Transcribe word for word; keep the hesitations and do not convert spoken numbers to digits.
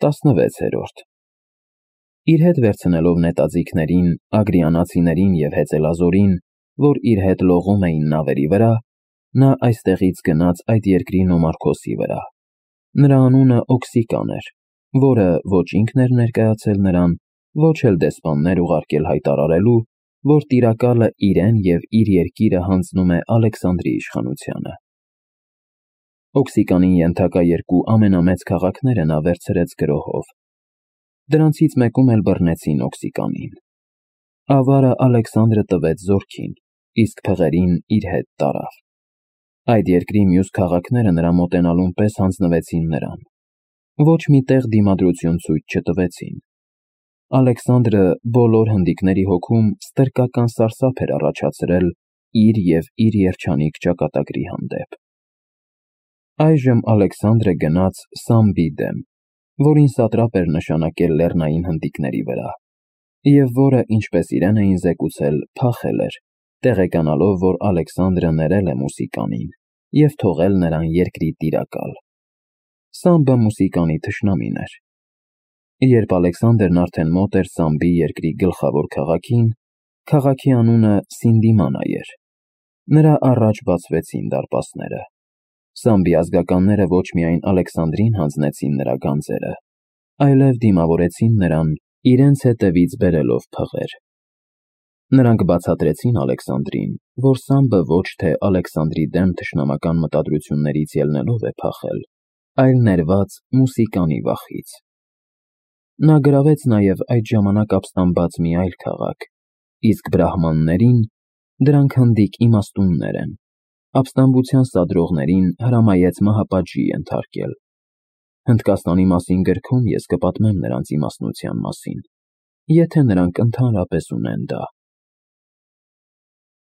տասնվեցերորդ Իր հետ վերցնելով նետաձիգներին, ագրիանացիներին և հեծելազորին, որ իր հետ լողում էին նավերի վրա, նա այստեղից գնաց այդ երկրի Նոմարքոսի վրա։ Նրա անունը Օքսիկան էր, որը ոչ ինքն էր ներկայացել նրան, ոչ էլ դեսպաններ ուղարկել հայտարարելու, որ տիրակալը իրեն և իր երկիրը հանձնում է Ալեքսանդրի իշխանությանը։ Օքսիկանին ենթակա երկու ամենամեծ քաղաքները նա վերցրեց գրոհով։ Դրանցից մեկում էլ բռնեցին Օքսիկանին։ Ավարը Ալեքսանդրը տվեց զորքին, իսկ փղերին իր հետ տարավ։ Այդ երկրի մյուս քաղաքները նրա մոտենալուն պես հանձնվեցին նրան։ Ոչ մի տեղ դիմադրություն ցույց չտվեցին։ Ալեքսանդրը բոլոր հնդիկների հոգում ստրկական սարսափ էր առաջացրել իր և իր երջանիկ ճակատագրի հանդեպ։ Այժմ Ալեքսանդրը գնաց Սամբի դեմ, որին սատրապ էր նշանակել լեռնային հնդիկների վրա, և որը, ինչպես իրեն էին զեկուցել, փախել էր, տեղեկանալով, որ Ալեքսանդրը ներել է Մուսիկանին և թողել նրան երկրի տիրակալ։ Սամբը Մուսիկանի թշնամին էր։ Երբ Ալեքսանդրն արդեն մոտ էր Սամբի երկրի գլխավոր քաղաքին, քաղաքի անունը Սինդիմանա էր, նրա առաջ բացվեցին դարպասները։ Սամբի ազգականները ոչ միայն Ալեքսանդրին հանձնեցին նրա գանձերը, այլև դիմավորեցին նրան, իրենց հետևից բերելով փղեր։ Նրանք բացատրեցին Ալեքսանդրին, որ Սամբը ոչ թե Ալեքսանդրի դեմ թշնամական մտադրություններից ելնելով է փախել, այլ ներված Մուսիկանի վախից։ Նա գրավեց նաև այդ ժամանակ ապստամբած մի այլ քաղաք, իսկ բրահմաններին (դրանք հնդիկ իմաստուններ են) ապստամբության սադրողներին հրամայեց մահապատժի ենթարկել։ Հնդկաստանի մասին գրքում ես կպատմեմ նրանց իմաստնության մասին, եթե նրանք ընդհանրապես ունեն դա։